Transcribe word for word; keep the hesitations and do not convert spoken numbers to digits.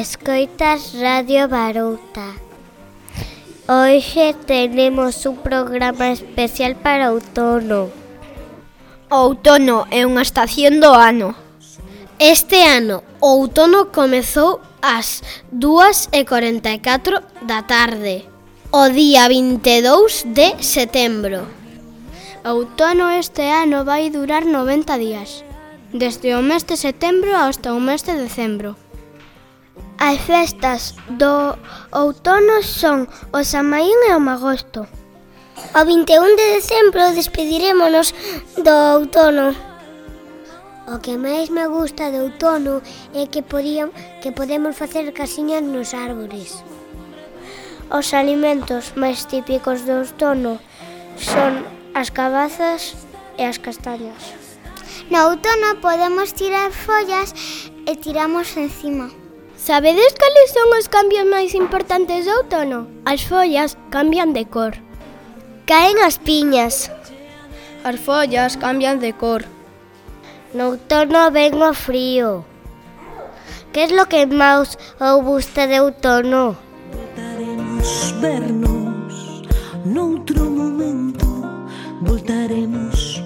Escoitas Radio Barouta. Hoxe tenemos un programa especial para outono. O outono é unha estación do ano. Este ano, o outono comezou ás dúas e corenta e catro da tarde, o día vinte e dous de setembro. O outono este ano vai durar noventa días, desde o mes de setembro hasta o mes de decembro. As festas do outono son o San Maín e o Magosto. O vinte e un de decembro despedirémonos do outono. O que máis me gusta do outono é que, podíam, que podemos facer casiñas nos árbores. Os alimentos máis típicos do outono son as cabazas e as castañas. No outono podemos tirar follas e tiramos encima. Sabedes cales son os cambios máis importantes do outono? As follas cambian de cor. Caen as piñas. As follas cambian de cor. No outono ven o frío. Que es lo que máis os gusta de outono? Voltaremos vernos noutro momento. Voltaremos